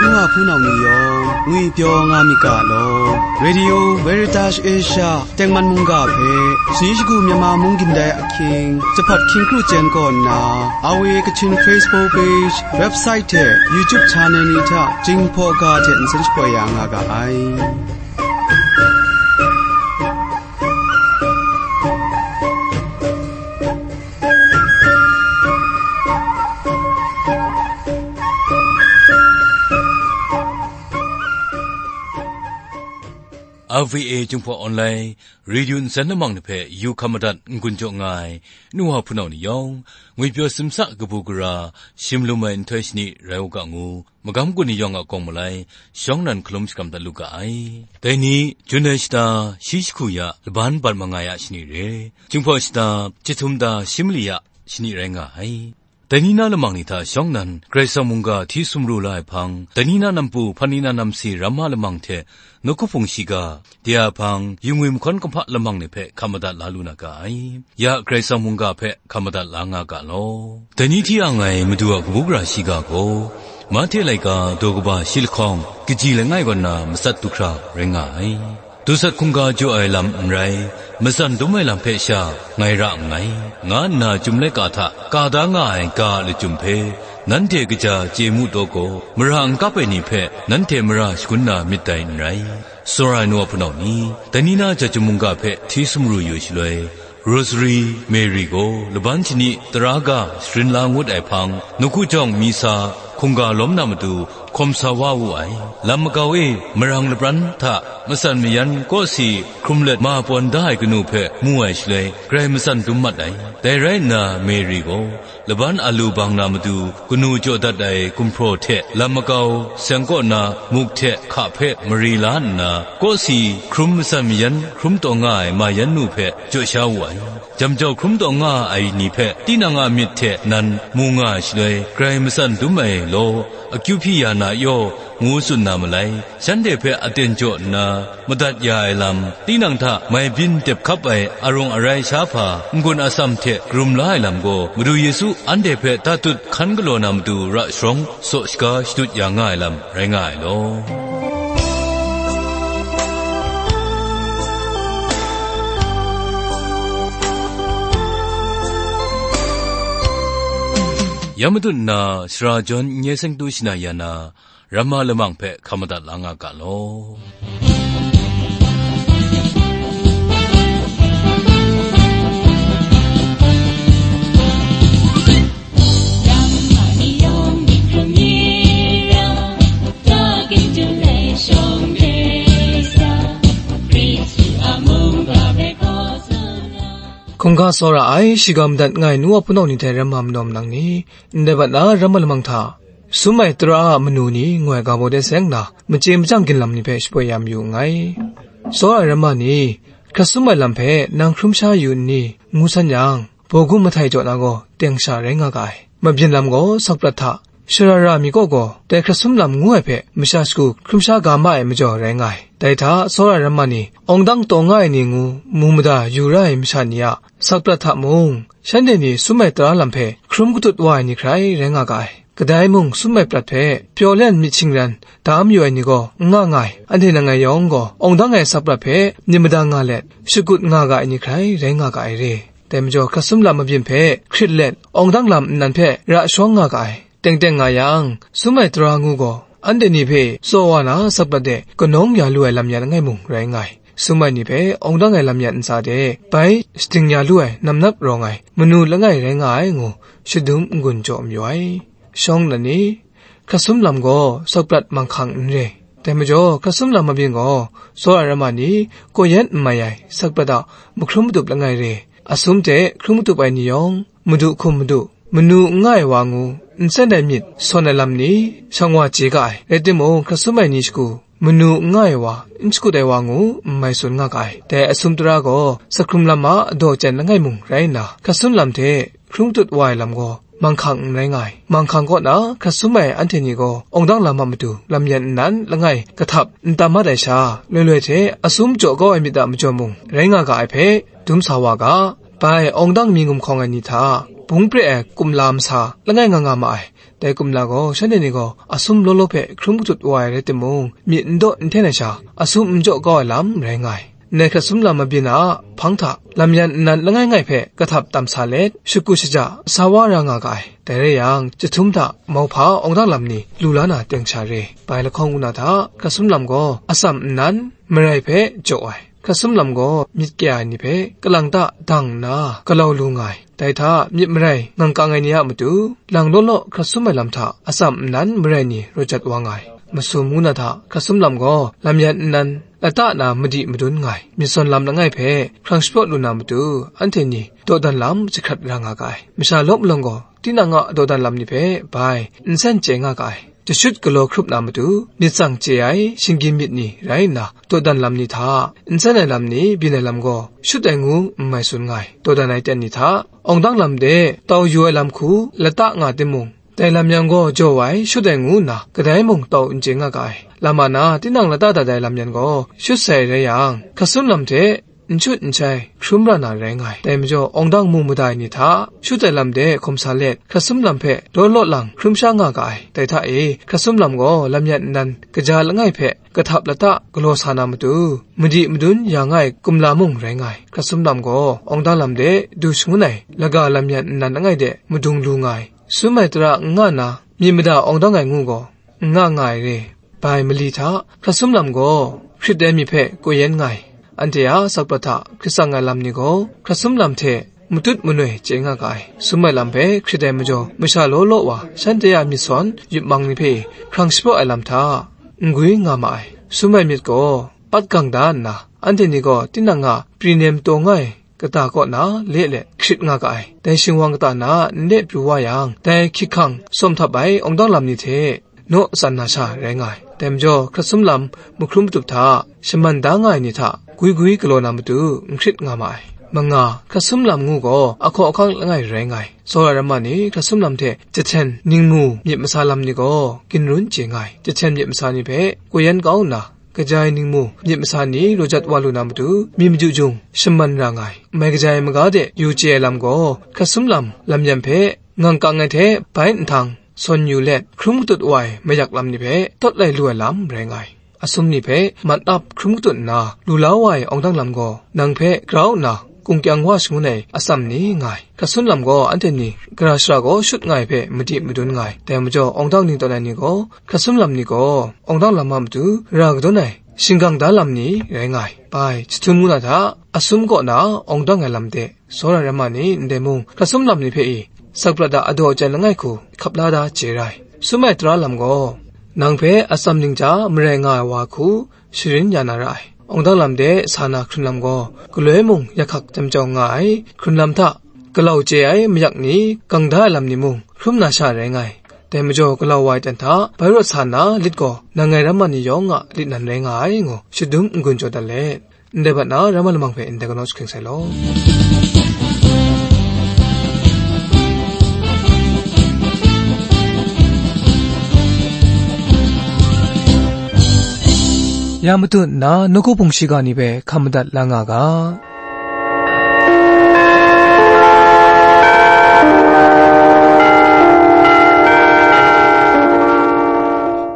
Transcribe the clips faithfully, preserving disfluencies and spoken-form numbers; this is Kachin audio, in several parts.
Nwa hpunau ni yawng ngwipyaw nga myit ga law. Radio Veritas Asia tengman mungga hpe, sani shagu Myanmar mung gindai ahkying, Jahpat hkying kru chyen kaw nna, R V A Kachin Facebook page, website hte YouTube channel ni hta Jinghpaw ga hte nsen shapoi ya nga ga ai. R V A Jinghpaw Online Radio nsen lamang ni hpe yu hkam madat n-gun jaw nga ai, nu wa hpunau ni yawng, ngwipyaw simsa kabu gara, shim lum ai nhtoi shani rai u ga ngu, magam gun ni yawng a kawng malai, shawng nan hkalum shakram dat lu ga ai. Dai ni, Jun ai shata, shi jahku ya, laban bat mangai a shani re, Jinghpaw shata, chyahtum da shi mali a shani rai nga ai. Dai ni na lamang ni hta shawng nan, Karai Kasang mungga hti sumru la ai hpang, dai ni na nampu, hpan ni na namsi ramma lamang hte, nawku hpung shiga, de a hpang, yu ngwi mahkawn kumhpa lamang ni hpe hkam madat la lu na ga ai. Ya Karai Kasang mungga hpe hkam madat la nga ga law. Dai ni hti ang ai Madu a kabu gara shiga gaw, Mahte laika daw kaba shi lahkawng, kaji langai kaw na matsat du hkra rai nga ai. Dusat hkungga jaw ai lam n rai, matsan dum ai lam hpe sha ngai ra nngai, nga nna Chyum laika hta ka da nga ai ga a lachyum hpe, nanhte kaja chye mu taw gaw, mara n kap ai ni hpe nanhte mara shagun na myit dai n rai. Tsawra ai nu a hpunau ni, dai ni na ja chyum mungga hpe hti sumru yu ai shaloi, Rosary Mary gaw laban shani tara ga sharin la ngut ai hpang, nawku jawng misa hkungga lawm na matu hkawm sa wa wu ai. Lam makau e marang lapran hta matsan mayan kawsi hkrum let ma pawn da ai kanu hpe mu ai shaloi, grai matsan dum mat ai. Dai rai nna, Mary gaw laban alu bang na matu kanu jaw dat ai gumhpraw hte lam makau seng kaw na muk hte hka hpe mari la nna, kawsi hkrum matsan mayan hkrum taw nga ai ma yan nu hpe jaw sha wu ai. Jam jau hkrum taw nga ai ni hpe tinang a myit hte nan mu nga ai shaloi, grai matsan dum ai law, akyu hpyi ya na yaw, ngu tsun na malai. Shanhte hpe aten jaw nna, madat ya ai lam, tinang hta mai byin dep hkap ai arung arai sha hpa, n-gun atsam hte karum la ai lam gaw, Madu Yesu anhte hpe tatut hkan galaw na matu ra sharawng saw shaga shadut ya nga ai lam rai nga ai law. Ya matut nna, sara jawn n-, nye seng tu shana ya na, ramma lamang hpe hkam madat la nga ga law. Hkungga tsawra ai, shiga madat nga ai nu wa hpunau ni hte ramma manaw manang ni, ndai bat na ramma lamang hta, sum ai tara a manu ni ngoi ga baw de seng nna, machye machyang ginlam ni hpe shapoi ya mayu nngai. Tsawra ai ramma ni, hkrat sum ai lam hpe nang hkrum sha yu nni, ngu san yang, baw gun mahtai jaw na gaw teng sha rai nga ga ai. Mabyin lam gaw sakprat hta, sharara mi kaw gaw dai hkrat sum lam ngu ai hpe masha shagu hkrum sha ga ma ai majaw rai nga ai. Dai hta, tsawra ai ramma ni, awng dang taw nga ai ni ngu mu mada yu ra ai masha ni a sakprat hta mung, shanhte ni sum ai tara lam hpe hkrum katut wa ai ni hkrai rai nga ga ai. Kadai mung sum ai prat hpe pyaw len myit shingran da mayu ai ni gaw n nga nga ai. Anhte nangai yawng gaw awng dang ai sakprat hpe myit madang nga let, shakut nga ga ai ni hkrai rai nga ga ai re. Dai majaw, hkrat sum lam mabyin hpe hkrit let, awng dang lam nnan hpe ra sharawng nga ga ai. Teng teng nga yang, sum ai tara ngu gaw, anhte ni hpe tsaw wa na sakprat de kanawng ya lu ai lam yan langai mung rai nga ai. Sum ai ni hpe awng dang ai lam yan ntsa de bai shading ya lu ai namnap rawng ai manu langai rai nga ai ngu, shadum n-gun jaw mayu ai. Shawng nnan ni, hkrat sum lam gaw sakprat manghkang n re. Dai majaw, hkrat sum lam mabyin gaw, tsawra ai ramma ni, kaw yan n mai ai sakprat a mahkrum matup langai re. Asum hte hkrum matup ai ni yawng, madu hkum madu, manu n nga ai wa ngu, nsen ai myit sawn ai lam ni, shang wa chye ga ai. Rai timung, hkrat sum ai ni shagu, manu n nga ai wa, n shakut ai wa ngu, n mai tsun nga ga ai. Dai asum tara gaw, sahkrum lam a daw chyan langai mung rai nna, hkrat sum lam hte hkrum tut wa ai lam gaw, manghkang n rai nga ai. Manghkang kaw na hkrat sum ai anhte ni gaw, awng dang lam a matu lam yan nnan langai kahtap n tam mat ai sha, loi loi hte asum jaw kau ai myit a majaw mung rai nga ga ai hpe, dum sa wa ga. Bai, awng dang mi gumhkawng ai ni hta, bung pre ai kumla masa langai nga nga ma ai. Dai kumla gaw shanhte ni gaw asum law law hpe hkrum katut wa ai rai timung, myit n daw n hten ai sha, asum n jaw kau ai lam rai nga ai. Ndai hkrat sum lam mabyin a hpang hta, lam yan nnan langai ngai hpe kahtap tam sa let, shakut shaja sa wa ra nga ga ai. Dai rai yang, chyahtum hta mauhpa awng dang lam ni lu la na teng sha re. Bai lahkawng ngu na hta, hkrat sum lam gaw atsam nnan marai hpe jaw ai. Hkrat sum lam gaw myit kya ai ni hpe kalang ta dang nna galau lu nga ai. Dai hta myit marai ngang kang ai ni a matu, lang law law hkrat sum ai lam hta atsam nnan marai ni raw jat wa nga ai. Masum ngu na hta hkrat sum lam gaw lam yan nnan lata na madi madun nga ai. Myit zawn lam langai hpe hkrang shapraw lu na matu, anhte ni dawdan lam jahkrat ra nga ga ai. Masha lawp malawng gaw, tinang a dawdan lam ni hpe bai nsen chye nga ga ai. Jashut galaw hkrup na matu, myit tsang chye ai shinggyim myit ni rai nna, dawdan lam ni hta, nsen ai lam ni byin ai lam gaw, shut ai ngu n mai tsun nga ai. Dawdan ai ten ni hta, awng dang lam de tau yu ai lam hku lata nga timung, dai lam yan gaw jaw ai, shut ai ngu nna, kadai mung tau n chye nga ga ai. Lam a na, tinang lata dat ai lam yan gaw, shut sai rai yang, hkrat sum lam hte, n shut n shai, hkrum ra na rai nga ai. Dai majaw, awng dang mu mada ai ni hta, shut ai lam de hkawm sa let, hkrat sum lam hpe law law lang hkrum sha nga ga ai. Dai hta e, hkrat sum lam gaw lam yan nnan kaja langai hpe kahtap lata galaw sa na matu, madi madun ya nga ai kumla mung rai nga ai. Hkrat sum lam gaw awng dang lam de du shangun ai laga lam yan nnan langai de madung lu nga ai. Sum ai tara n nga na, myit mada awng dang ai ngu gaw, n nga nga ai re. Bai mali hta, hkrat sum lam gaw hkrit ai myit hpe koi yan nga ai. Anhte a sakprat hta hkrit tsang ai lam ni gaw, hkrat sum lam hte matut manoi chye nga ga ai. Sum ai lam hpe hkrit ai majaw, masha law law wa, shanhte a myit sawn yupmang ni hpe hkrang shapraw ai lam hta, n gwi nga ma ai. Sum ai myit gaw, pat gang da nna, anhte ni gaw tinang a pri nem taw nga ai kata kaw na le let hkrit nga ga ai. Dai shingwang kata na nle pru wa yang, dai hkyik hkang sawm htap ai awng dang lam ni hte naw tsan na sha rai nga ai. Dai majaw, hkrat sum lam mahkrum matup hta shaman da nga ai ni hta gwi gwi galaw na matu n hkrit nga ma ai. Manga, hkrat sum lam ngu gaw ahkaw ahkang langai rai nga ai. Tsawra ramma ni hkrat sum lam hte jahten ningmu myit masa lam ni gaw ginrun chye nga ai. Jahten myit masa ni hpe koi yan kau nna, kaja ai ningmu myit masa ni raw jat wa lu na matu, mi maju jung shaman ra nga ai. Mai kaja ai maga de yu chye ai lam gaw, hkrat sum lam lam yan hpe ngang kang ai hte bai nhtang sawn yu let, hkrum katut wa ai mayak lam ni hpe tawt lai lu ai lam rai nga ai. Asum ni hpe mat ap hkrum katut nna, lu la wa ai awng dang lam gaw, nang hpe grau nna kungkyang wa shangun ai atsam ni nga ai. Hkrat sum lam gaw anhte ni gara shara gaw shut nga ai hpe madi madun nga ai. Dai majaw, awng dang ning tawn ai ni gaw, hkrat sum lam ni gaw, awng dang lam a matu ra kadawn ai shinggang da lam ni rai nga ai. Bai, jahtum ngu na hta, asum kaw na awng dang ai lam de, tsawra ramma ni ndai mung, hkrat sum lam ni hpe i, sakprat a adaw ajan langai hku hkap la da chye ra ai. Sum ai tara lam gaw, nang hpe atsam ning hta marai nga ai wa hku sharin ya na ra ai. Awng dang lam de sa na hkrun lam gaw, galoi mung ya hkak jam jau nga ai. Hkrun lam hta galau chye ai mayak ni, gang da ai lam ni mung, hkrum na sha rai nga ai. Dai majaw, galau wa ai ten hta bai rawt sa nna lit gaw, nang ngai ramma ni yawng a lit nan rai nga ai, ngu shadum n-gun jaw dat let, ndai bat na ramma lamang hpe ndai galaw jahkring sai law. Ya matut nna, nawku hpung shiga ni hpe hkam madat la nga ga.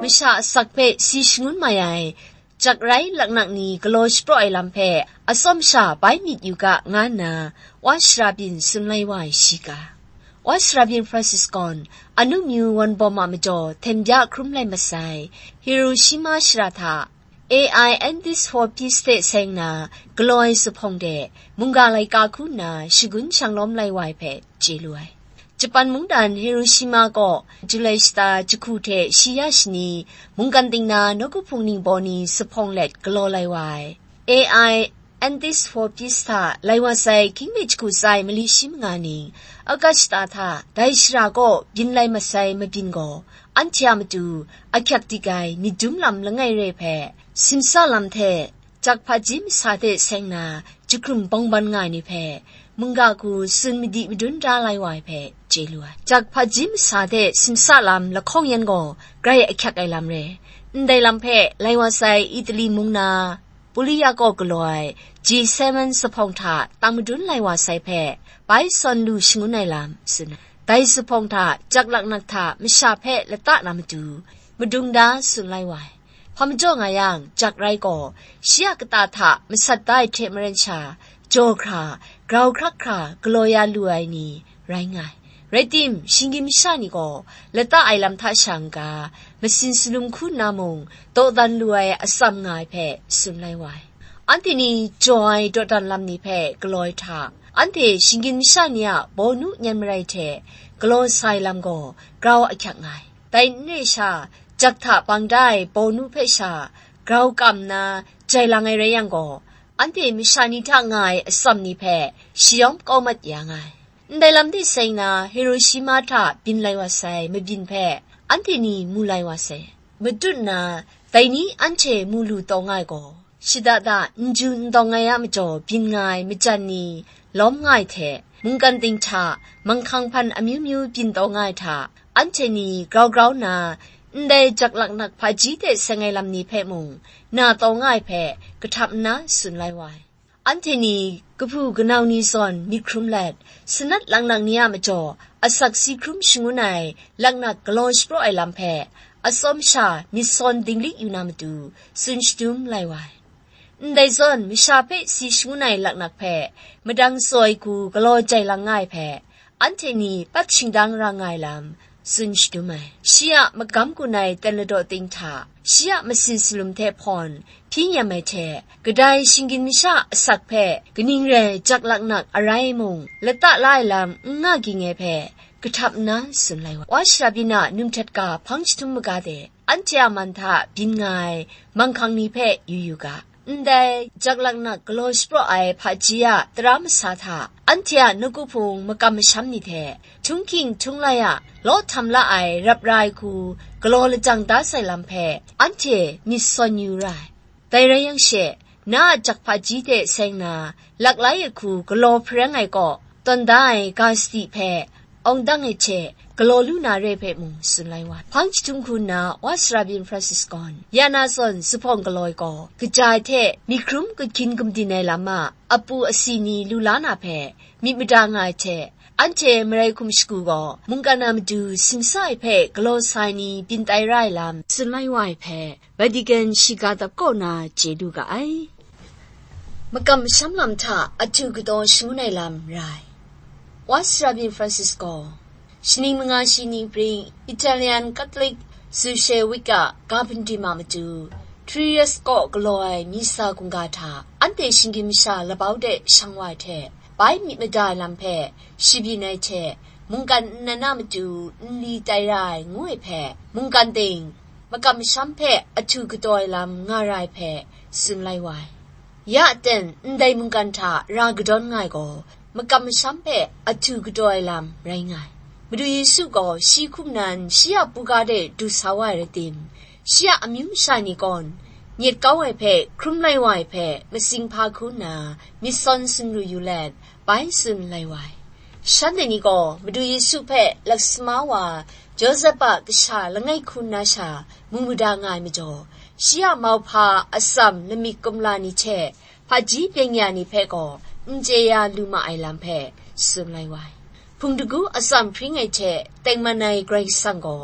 Masha asak hpe si shangun mai ai, jak rai laknak ni galaw shapraw ai lam hpe atsawm sha bai myit yu ga, nga nna wa shara byin tsun lai wa ai shiga. Wa shara byin Francis gaw, anu myu wan bawm a majaw hten bya hkrum lai masai, Hiroshima shara hta A I Antis for Peace hte seng na galaw ai zuphpawng de mungga laika hku nna shagun shanglawm lai wa ai hpe chye lu ai. Japan mungdan Hiroshima kaw Julai shata jahku hte shi ya shani mungkan ting na nawku hpung ningbaw ni zuphpawng let galaw lai wa ai. A I Antis for Peace hta lai wa sai hkying mi jahku tsai mali shi manga ning, August shata hta dai shara kaw byin lai masai mabyin gaw, anhte a matu ahkyak dik ai myit dum lam langai re hpe, simsa lam hte jak hpaji masa hte seng na jahkrum bawngban nga ai ni hpe, mungga hku tsun madi madun da lai wa ai hpe chye lu ai. Jak hpaji masa hte simsa lam lahkawng yan gaw grai ahkyak ai lam re. Ndai lam hpe lai wa sai Italy mung na Uria kaw galaw ai G seven zuphpawng hta tang madun lai wa sai hpe, bai sawn lu shangun ai lam tsun ai. Dai zuphpawng hta jak laknak hta masha hpe lata na matu, madung da tsun lai wa ai. Hpa majaw nga yang, jak rai gaw, shi a kata hta masat da ai hte maren sha, jaw hkra, grau hkrak hkra galaw ya lu ai ni rai nga ai. Rai tim, shinggyim masha ni gaw lata ai lam hta sha n-ga, masin salum hku nna mung dawdan lu ai atsam nga ai hpe tsun lai wa ai. Anhte ni jaw ai dawdan lam ni hpe galaw ai hta, anhte shinggyim masha ni a bawnu nyan marai hte galaw sa ai lam gaw grau ahkyak nga ai. Dai n re sha, jak hta bang da ai bawnu hpe sha grau kam nna jai lang ai rai yang gaw, anhte masha ni hta nga ai atsam ni hpe shayawm kau mat ya nga ai. Ndai lam de seng na, Hiroshima hta byin lai wa sai mabyin hpe anhte ni mu lai wa sai. Matut nna, dai ni anhte mu lu taw nga ai gaw, shada da n ju n dawng ai a majaw byin nga ai majan ni lawm nga ai hte, mungkan ting hta manghkang hpan amyu myu byin taw nga ai hta, anhte ni grau grau nna, ndai jak laknak hpaji hte seng ai lam ni hpe mung na taw nga ai hpe kahtap nna tsun lai wa ai. Anhte ni kahpu kanau ni zawn myit hkrum let, sanat laknak ni a majaw asak si hkrum shangun ai laknak galaw shapraw ai lam hpe, atsawm sha myit sawn dinglik yu na matu, tsun shadum lai wa ai. Ndai zawn masha hpe si shangun ai laknak hpe, madang tsaw ai hku galaw jai lang nga ai hpe, anhte ni pat shingdang ra nga ai lam tsun shadum ai. Shi a magam gun ai ten ladaw ting hta, shi a masin salum hte hpawn hpyi nyam ai hte, kadai shinggyim masha asak hpe kaning rai jak laknak arai mung lata la ai lam n nga ging ai hpe, kahtap nna tsun lai wa. Wa shara byin a num htet ga hpang jahtum maga de, anhte a man hta byin nga ai manghkang ni hpe yu yu ga. Ndai jak laknak galaw shapraw ai hpaji a tara masa hta, anhte a nawku hpung makam masham ni hte, htunghking htunglai a law htam la ai rap ra ai hku galaw lajang da sai lam hpe, anhte myit sawn yu ra ai. Dai rai yang she, na a jak hpaji hte seng na, laklai ai hku galaw hpareng ai kaw, tawn da ai ga sadi hpe, awng dang ai hte galaw lu na re hpe mung tsun lai wa ai. Hpang jahtum hku nna, Wa sara byin Francis gawn, ya na zawn zuphpawng galaw ai gaw, kaja ai hte myit hkrum kahkyin gumdin ai lam a apu asi ni lu la na hpe myit mada nga ai hte, anhte marai hkum shagu gaw, mungkan a matu simsa ai hpe galaw sa ai ni byin tai ra ai lam tsun lai wa ai hpe, Vatican shiga dap kaw na chye lu ga ai. Makam masham lam hta ahtu kataw shangun ai lam rai. Wa sara byin Francis gaw, shaning manga shi ni pring Italian Catholic Social Week a ga hpindim a matu, Trieste kaw galaw ai misa hkungga hta, anhte shinggyim masha labau de shang wa ai hte, bai myit mada ai lam hpe, shi byin ai hte, mungkan nnan a matu nli tai ra ai ngu ai hpe, mungkan ting makam masham hpe ahtu kataw ai lam nga ra ai hpe, tsun lai wa ai. Ya aten, ndai mungkan hta ra kadawn nga ai gaw, makam masham hpe ahtu kataw ai lam rai nga ai. Madu Yesu gaw shi hkum nan shi a buga de du sa wa ai rai tim, shi a amyu masha ni gawn, nyet kau ai hpe hkrum lai wa ai hpe, matsing hpa hku nna, myit sawn sumru yu let, bai tsun lai wa ai. Shanhte ni gaw Madu Yesu hpe laksama wa Josep a kasha langai hku nna sha mu mada nga ai majaw, shi a mauhpa atsam lamik kumla ni hte hpaji byeng ya ni hpe gaw n chye ya lu ma ai lam hpe tsun lai wa ai. Hpung dagu atsam hpring ai hte tengman ai Karai Kasang gaw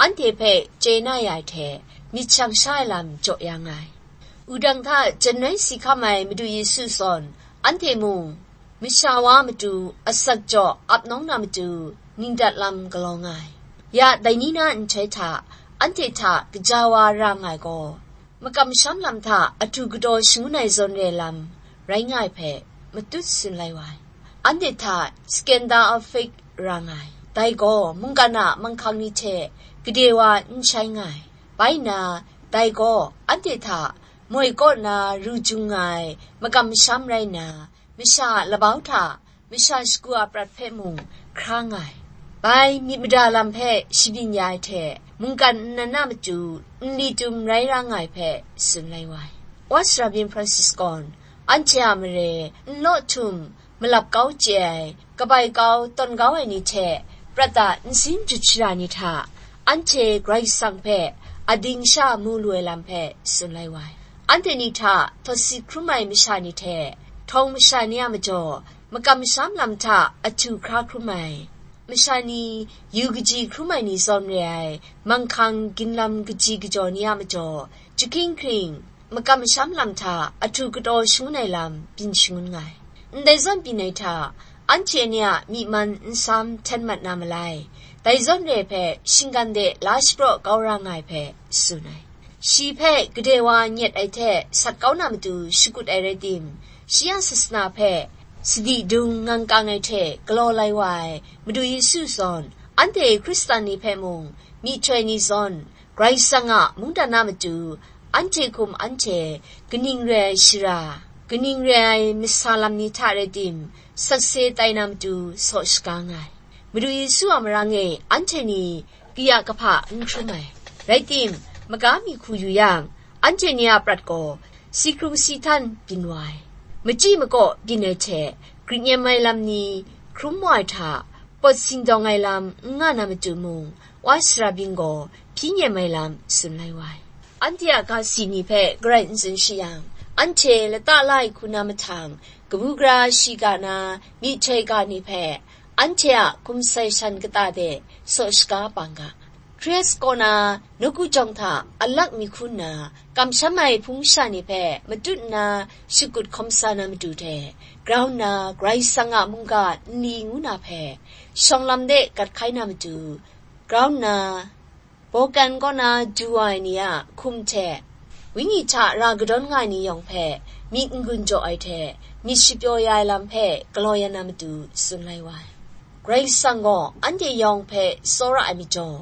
anhte hpe chye na ya ai hte myit shang sha ai lam jaw ya nga ai. Wudang hta janai si hkam ai Madu Yesu zawn, anhte mung masha wa matu asak jaw ap nawng na matu ningdat lam galaw nga ai. Ya dai ni na nhtoi hta, anhte hta kaja wa ra nga ai gaw, makam masham lam hta ahtu kataw shangun ai zawn re lam rai nga ai hpe matut tsun lai wa ai. Anhte hta scandal of faith ra nga ai. Dai gaw mungkan a manghkang ni hte gade wa n shai nga ai. Bai nna, dai gaw anhte hta moi kaw na ru jung nga ai makam masham rai nna, masha a labau hta masha shagu a prat hpe mung hkra nga ai. Bai myit mada lam hpe shabyin ya ai hte, mungkan nnan a matu nli tum rai ra nga ai hpe tsun lai wa ai. Wa sara byin Francis gawn, anhte a mare n law htum malap kau chye ai, kabai kau tawn kau ai ni hte prat a nsin jut shara ni hta, anhte Karai Kasang hpe ading sha mu lu ai lam hpe tsun lai wa ai. anhte ni hta tawsi hkrum ai masha ni hte, htawng masha ni a majaw, makam masham lam hta ahtu hkra hkrum ai, masha ni yu kaji hkrum ai ni zawn re ai, manghkang ginlam kaji kajaw ni a majaw, jahkying hkying, makam masham lam hta ahtu kataw shangun ai lam byin shangun nga ai. Ndai zawn byin ai hta, anhte ni a myi man nsam hten mat na malai, dai zawn re ai hpe shinggan de la shapraw kau ra nga ai hpe tsun ai. Shi hpe gade wa nyet ai hte sat kau na matu shakut ai rai tim, shi a sasana hpe sadi dung ngang kang ai hte galaw lai wa ai Madu Yesu zawn, anhte Hkristan ni hpe mung, myihtoi ni zawn, Karai Kasang a mungdan a matu, anhte hkum anhte kaning re ai shara, kaning re ai masa lam ni hta rai tim, sakse tai na matu saw shaga nga ai. Madu Yesu a marang e anhte ni kaya kahpa n hkrum ai. Rai tim, maga mi hku yu yang, anhte ni a prat gaw si hkrung si htan byin wa ai. Machyi makaw byin ai hte, grit nyem ai lam ni hkrum wa ai hta, pawt sindawng ai lam n nga na matu mung, wa sara byin gaw hpyi nyem ai lam tsun lai wa ai. Anhte a ga si ni hpe garai n tsun shi yang, anhte lata la ai hku na mahtang, kabu gara shiga na, myihtoi ga ni hpe, anhte a hkum sai shan kata de saw shaga bang ga. Kres kaw na nawku jawng hta alak mi hku nna, kamsham ai hpung sha ni hpe matut nna shakut hkawm sa na matu hte, grau nna Karai Kasang a mungga nli ngu na hpe, shawng lam de gat hkai na matu, grau nna, Balkan kaw na du wa ai ni a hkum hte, wenyi hta ra kadawn nga ai ni yawng hpe, myit n-gun jaw ai hte, myit shapyaw ya ai lam hpe galaw ya na matu tsun lai wa ai. Karai Kasang gaw anhte yawng hpe tsawra ai majaw,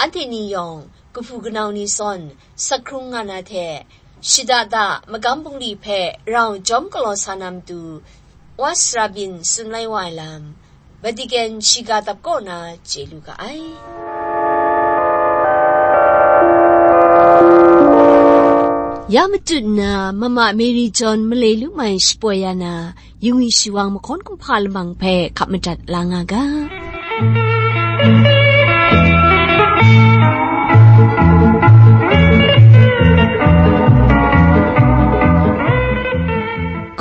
anhte ni yawng, kahpu kanau ni zawn, sak hkrung nga na hte, shada da magam bungli hpe rau jawm galaw sa na matu, wa sara byin tsun lai wa ai lam, Vatican shiga dap kaw na chye lu ga ai. Ya matut nna, Mama Mary John malai lu mai shapoi ya na, yungwi shawang mahkawn kumhpa lamang hpe hkap madat la nga ga.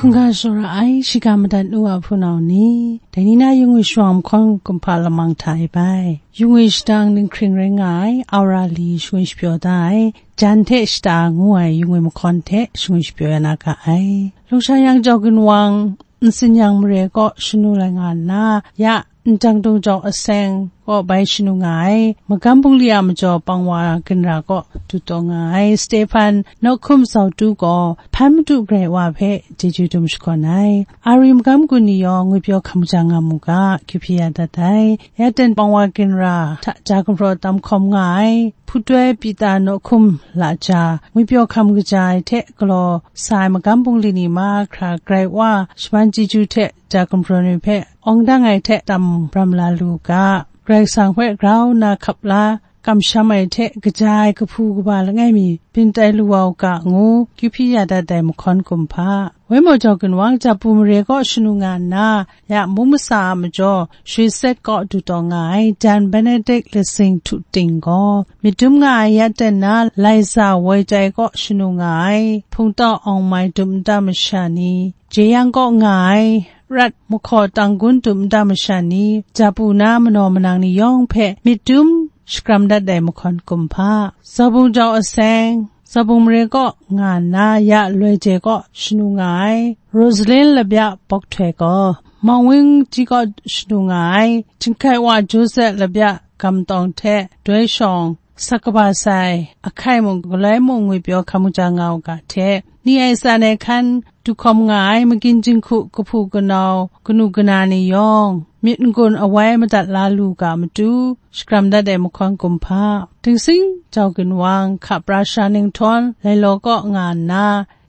Hkungga shara ai, shiga madat nu a hpunau ni, dai ni na yungwi shawang mahkawn kumhpa lamang hta e bai. Yungwi shadang ninghkring rai nga ai, aura li shangun shapyaw da ai, jan hte shata ngu ai yungwi mahkawn hte shangun shapyaw ya na ga ai. Lungsha yang jau ginwang, nsin yang mare kaw shanu lai nga nna, ya ndang dung jau aseng kaw bai shanu nga ai, magam bungli a majaw pangwa ginra kaw du taw nga ai, Stehpan nawk hkum zautu gaw, hpan madu garai wa hpe chyeju dum shakawn ai. Ari magam gun ni yawng ngwipyaw hkam ja nga mu ga, kyu hpyi ya dat ai. Ya ten pangwa ginra hta ja gumhpraw tam hkawm nga ai, hputoi Pita nawk hkum la ja, ngwipyaw hkam kaja ai hte galaw sa ai magam bungli ni mahkra garai wa, shaman chyeju hte ja gumhpraw ni hpe awng dang ai hte tam bram la lu ga, Karai Kasang hpe grau nna hkap la, kamsham ai hte kaja ai kahpu kaba langai mi byin tai lu wa u ga ngu, kyu hpyi ya dat ai mahkawn kumhpa. Wai maw jau ginwang, Japu mare kaw shanu nga nna, ya mung masa a majaw, Shwe Set kaw du taw nga ai, jan Benedict Letsing htu ting gaw, myit dum nga ai ya ten na, Laiza Woi Tai kaw shanu nga ai, hpungtau awng mai dum nta masha ni, Jeyang kaw nga ai, Rat mahkaw tanggun dum nta masha ni, Japu na manaw manang ni yawng hpe myit dum shakram dat ai mahkawn kumhpa. Zaubung jau aseng, Zaubung mare kaw nga nna ya loi je kaw shanu nga ai, Rosalin labya bawk htoi gaw, Mawng Wing Ti kaw shanu nga ai, Chyinghkai wa Joseph labya gam tawng hte doi shawng, sak kaba sai, ahkai mung galoi mung ngwipyaw hkam kaja nga u ga hte, ni ai tsan ai hkan du hkawm nga ai magin jinghku kahpu kanau, kanu kana ni yawng, myit n-gun awai madat la lu ga matu, shakram dat ai mahkawn kumhpa. Dingsing jau ginwang, hka pra sara ninghtawn, Lailaw kaw nga nna,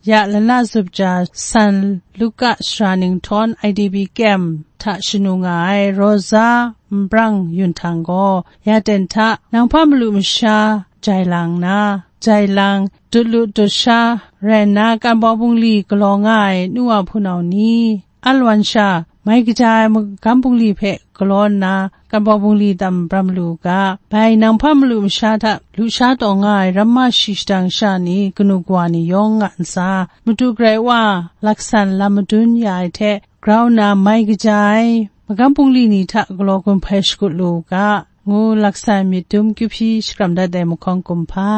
ya lana zup ja San Luka sara ninghtawn I D P kem hta shanu nga ai Rosa Nbrang Yun Htang gaw, ya ten hta nang hpa malu masha jai lang nna, jai lang, dut lu dut sha rai nna, kan baw bungli galaw nga ai nu wa hpunau ni, Alwan sha mai kaja ai magam bungli hpe galaw nna, kambau bungli tam bram lu u ga, bai nang hpa malu masha hta lusha taw nga ai ramma shi shadang sha ni, kanu kawa ni yawng nga ntsa, Madu Karai Wa laksan lam madun ya ai hte grau nna mai kaja ai magam bungli ni hta galaw gun hpai shakut lu u ga, ngu laksan myit dum kyu hpyi shakram dat ai mahkawn kumhpa,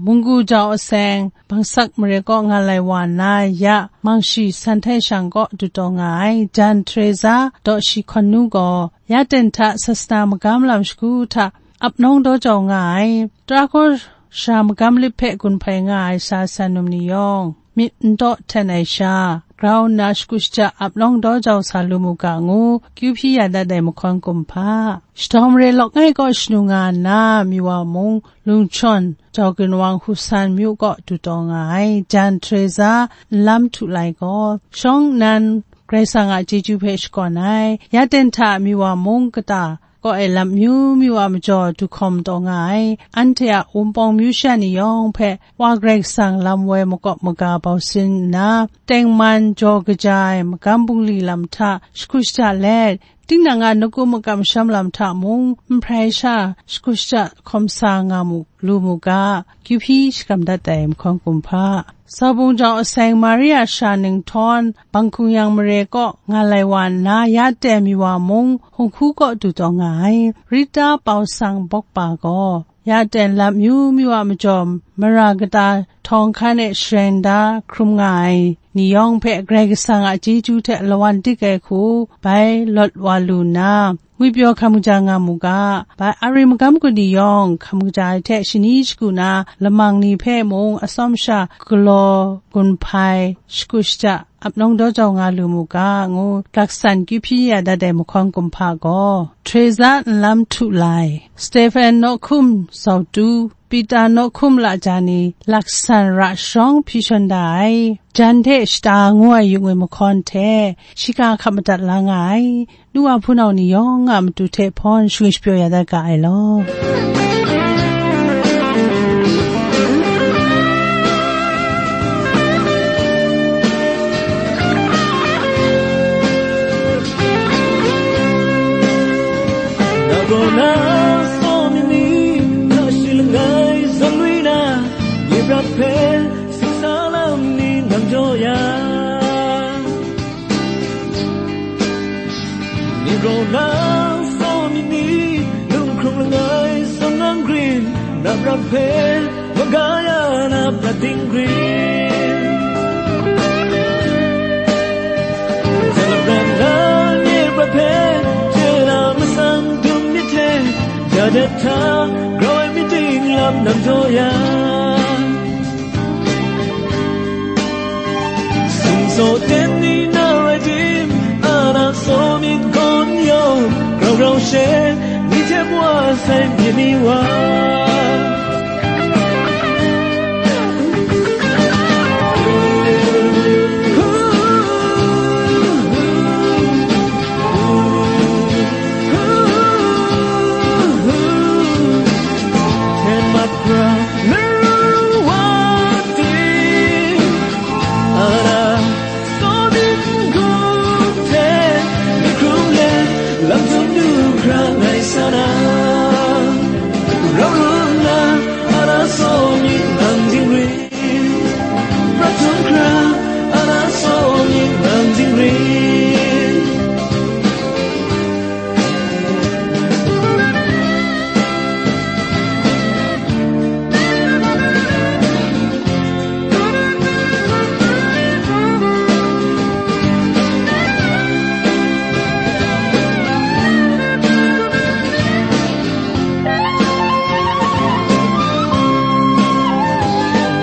munggu jau aseng, bangsak mare kaw nga lai wa nna ya, mangshi san htai shang kaw du taw nga ai jan Teresa daw shi hkawn nu gaw, ya ten hta sasana magam lam shagu hta ap nawng daw jau nga ai, tara hkawra magam lip hpe gun hpai nga ai sa san num ni yawng, myit n daw hten ai sha, grau nna shakut shaja ap nawng daw jau sa lu mu ga ngu, kyu hpyi ya dat ai mahkawn kumhpa, shatawng mare lawk ngai kaw shanu nga nna, Miwa mung, Lungchawn, jau ginwang Husan myu kaw du taw nga ai jan Teresa nlam htu lai gaw, shawng nnan Karai Kasang a chyeju hpe shakawn ai, ya ten hta Miwa mung kata kaw ai lam amyu myu a majaw du hkawm taw nga ai, anhte a Wunpawng myu sha ni yawng hpe Wa Karai Kasang lam woi makawp maga bau sin nna, tengman jaw kaja ai magam bungli lam hta shakut shaja let, tinang a nakun makam masham lam hta mung, nhprai sha shakut shaja hkawm sa nga mu, lu mu ga, kyu hpyi shakram dat ai mahkawn kumhpa, Saubung jau aseng Maria sha ninghtawn, Bangkung yang mare kaw nga lai wa nna, ya ten Miwa mung, Hung Hku kaw du taw nga ai, Rita Pau Sang Bawkpa gaw, ya ten lam amyu myu a majaw, mara kata htawng hkan e shareng da hkrum nga ai ni yawng hpe Karai Kasang a chyeju hte lawan dik ai hku bai lawt wa lu nna, ngwipyaw hkam kaja nga mu ga, bai Ari magam kun ni yawng hkam kaja ai hte shani shagu na lamang ni hpe mung atsawm sha galaw gun hpai, shakut shaja ap nawng daw jau nga lu mu ga, ngu laksan kyu hpyi ya dat ai mahkawn kumhpa gaw, Teresa nlam htu lai, Stephen nawhkum zau tu, Pita nawhkum laja ni laksan ra sharawng hpyi shawn da ai, jan hte shata ngu ai yu ngwi mahkawn hte, shiga hkap madat la nga ai, nu wa hpunau ni yawng a matu hte hpawn shangwi shapyaw ya dat ga ai law. Na gaw na saw myit ni, na shi langai zawn lui na, nye prat hpe singsa lam ni nang jaw ya. Ni gaw na saw myit ni, lunghkrung langai zawn nang grin, na prat hpe maga ya na prat ding grin. Jai lapran na nye prat hpe, je na matsan dum myit hte, ja dat hta grau ai myit ting lam nang jaw ya. Sumsaw ten ni na rai tim, a na saw myit gawn yawng, grau grau she, ni hte wa sai myit ni wa. Ten mat pra, na ru wa ting, a na saw myit n-gun hte, myit hkrung let, lam htum du hkra ngai sa na, rau ru nna, a na saw myit nang dingrin, prat htum hkra, a na saw myit nang dingrin.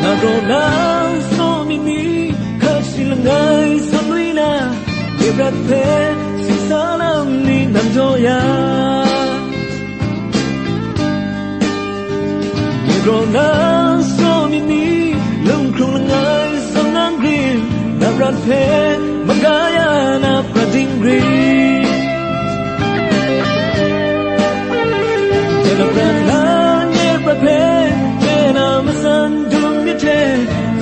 Na gaw na saw myit ni, hkat shi langai zawn lui na, nye prat hpe singsa lam ni nang jaw ya. Ni gaw na saw myit ni, lunghkrung langai zawn nang grin, na prat hpe maga ya na prat ding grin. Jai na prat na nye prat hpe, je na matsan dum myit hte,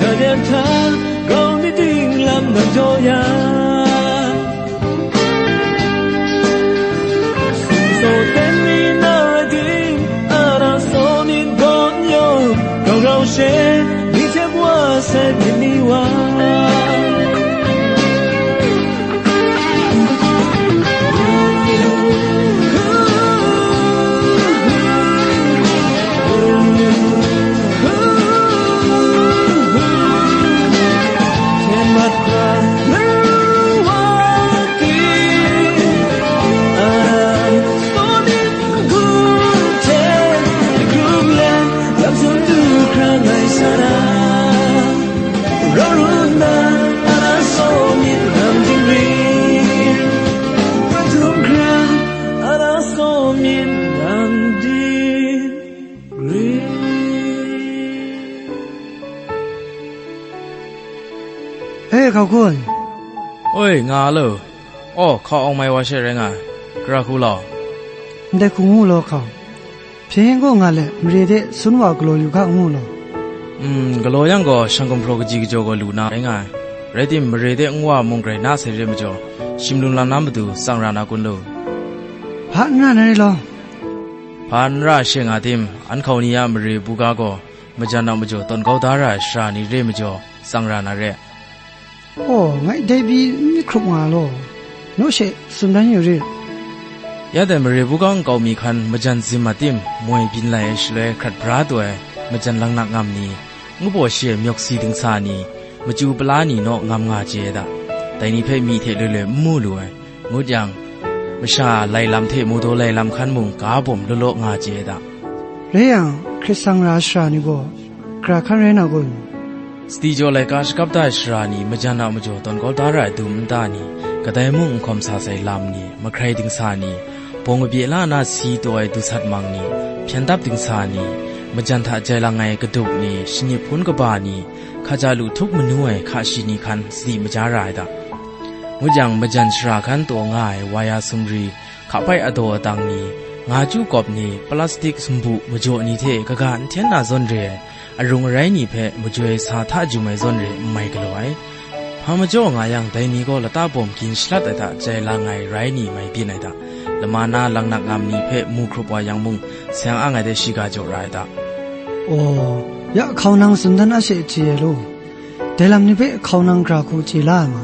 na de hta grau myit ting lam nang jaw ya. Tet ni wa. E, hkau kun. Oi, nga lo. Aw, hkau awng mai wa she rai nga ai. Gara hku law. Ndai hku ngu law hkau. Hpyen yen gaw nga let, mare de sun wa galaw yu ga ngu law. Mm, galaw yang gaw, shang gumhpraw kaji kajaw gaw lu na rai nga ai. Rai tim, mare de nwa mung grai na sai re majaw, shim lum lam na matu tsang ra na kun lu. Hpa n ra na re law. Hpa n ra she nga tim, an hkau ni a mare buga gaw, majan a majaw tawn kau da ra ai sara ni re majaw, tsang ra na re. Aw, ngai dai pyi n myit hkrup nga law, naw she tsun dan yu rit. Ya dai mare buga nkau mi hkan majan zim a tim moi byin lai ai shaloi hkrat bra taw ai majan langnak ngam ni, ngu baw shi ai myawk si dingsa ni, machyu pala ni naw ngam nga chye ai da. Dai ni hpe myi hte loi loi n mu lu ai, ngut yang, masha lai lam hte mawdaw lai lam hkan mung ga bawm law law nga chye ai da. Rai yang, hkrit sang ra ai sara ni gaw, gara hkan rai na kun? Sadi jaw laika shakap da ai sara ni, majan a majaw tawn kau da ra ai dum nta ni, kadai mung n hkawm sa sai lam ni, mahkrai dingsa ni, bawng kabye la na si taw ai dusat mang ni, hpyen dap dingsa ni, majan hta jai lang ai kaduk ni, shanip hpun kaba ni, hkaja lu htup manu ai hka shi ni hkan sadi maja ra ai da. Ngut yang, majan shara hkan taw nga ai waya sumri, hkapai adaw adang ni, nga chyu kawp ni, plastik sumbu majaw ni hte kaga n hten na zawn re ai, arung arai ni hpe majoi sa hta jum ai zawn re n mai galaw ai. Hpa majaw nga yang, dai ni gaw lata bawm gin shalat ai hta jai lang ai rai ni mai byin ai hta, lama na langnak ngam ni hpe mu hkrup wa yang mung, seng ang ai de shiga jaw ra ai hta. Aw, ya hkau nang tsun dan a she chye ai law. Dai lam ni hpe hkau nang gara hku chye la ai ma?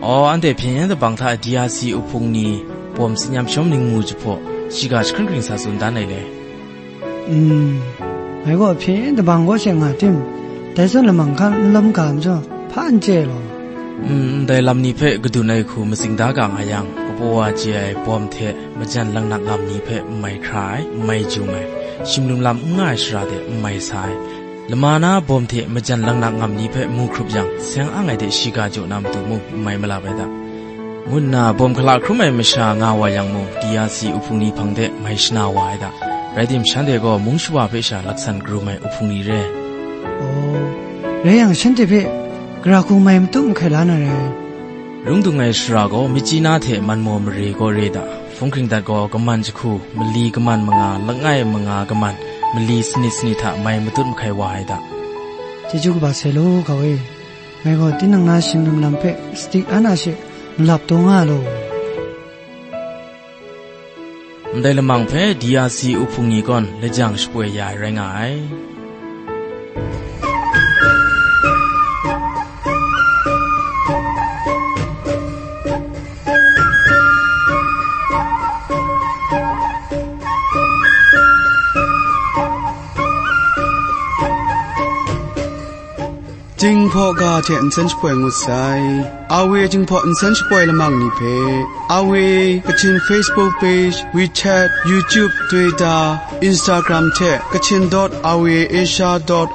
Aw, anhte hpyen yen dabang hta D R C uhpung ni bawm tsin yam shawm ningmu jahpaw, shiga jahkring kring sa tsun dan ai le. Mm, ngai gaw hpyen yen dabang kaw she nga tim, dai zawn lamang hkan n lawm ga majaw, hpa n chye law. Mm, ndai lam ni hpe kadun ai hku matsing da ga nga yang, kapaw wa chye ai bawm hte majan langnak ngam ni hpe n mai hkra ai, n mai jum ai, shim lum lam n nga ai shara de n mai sa ai, lama na bawm hte majan langnak ngam ni hpe mu hkrup yang, seng ang ai de shiga jaw na matu mung n mai malap ai da, ngu nna bawm hkala hkrum ai masha nga wa yang mung, D R C uhpung ni hpang de mai shana wa ai da. Rai tim, shanhte gaw mung shawa hpe sha laksan karum ai uhpung ni re. Aw, rai yang, shanhte hpe gara hku mai matut mahkai la na rai. Lungdung ai shara gaw Myitkyina hte Manmaw mare gaw re da. Hpung hkring dat gaw kaman jahku, mali kaman manga, langai manga kaman, mali sanit sanit hta mai matut mahkai wa ai da. Chyeju kaba sai law, hkau e. Ngai gaw tinang na shim lum lam hpe sadi an a she malap taw nga law. Ndai lamang hpe D R C uhpung ni gaw lajang shapoi ya ai rai nga ai. Jinghpaw ga hte nsen shapoi ngut sai. R V A Jinghpaw nsen shapoi lamang ni hpe, R V A Kachin Facebook page, WeChat, YouTube, Twitter, Instagram hte Kachin dot R V A Asia dot